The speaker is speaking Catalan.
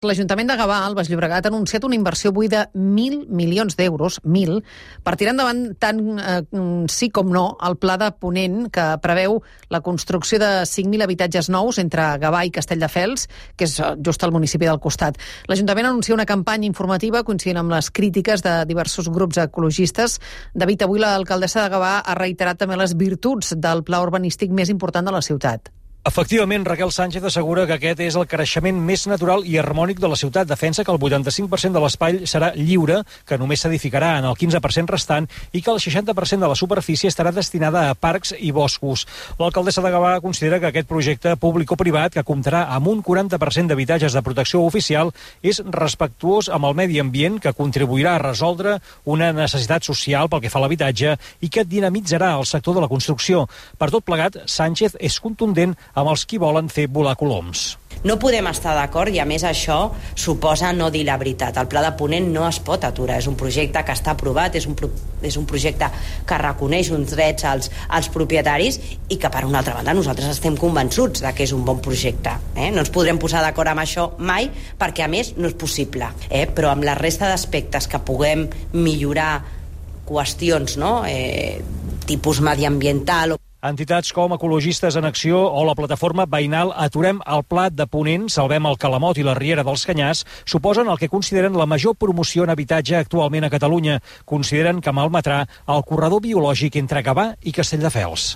L'Ajuntament de Gavà, al Baix Llobregat, ha anunciat una inversió avui de 1.000 milions d'euros, 1.000, per tirar endavant tant sí com no el pla de Ponent que preveu la construcció de 5.000 habitatges nous entre Gavà i Castelldefels, que és just al municipi del costat. L'Ajuntament anuncia una campanya informativa coincidint amb les crítiques de diversos grups ecologistes. David, avui l'alcaldessa de Gavà ha reiterat també les virtuts del pla urbanístic més important de la ciutat. Efectivament, Raquel Sánchez assegura que aquest és el creixement més natural i harmònic de la ciutat. Defensa que el 85% de l'espai serà lliure, que només s'edificarà en el 15% restant i que el 60% de la superfície estarà destinada a parcs i boscos. L'alcaldessa de Gavà considera que aquest projecte públic o privat, que comptarà amb un 40% d'habitatges de protecció oficial, és respectuós amb el medi ambient, que contribuirà a resoldre una necessitat social pel que fa a l'habitatge i que dinamitzarà el sector de la construcció. Per tot plegat, Sánchez és contundent amb els qui volen fer volar coloms. No podem estar d'acord i, a més, això suposa no dir la veritat. El pla de Ponent no es pot aturar. És un projecte que està aprovat, és un projecte que reconeix uns drets als propietaris i que, per una altra banda, nosaltres estem convençuts de que és un bon projecte. No ens podrem posar d'acord amb això mai, perquè, a més, no és possible. Però amb la resta d'aspectes que puguem millorar qüestions, tipus mediambiental. Entitats com Ecologistes en Acció o la plataforma veïnal Aturem el Pla de Ponent, Salvem el Calamot i la Riera dels Canyars suposen el que consideren la major promoció en habitatge actualment a Catalunya. Consideren que malmetrà el corredor biològic entre Gavà i Castelldefels.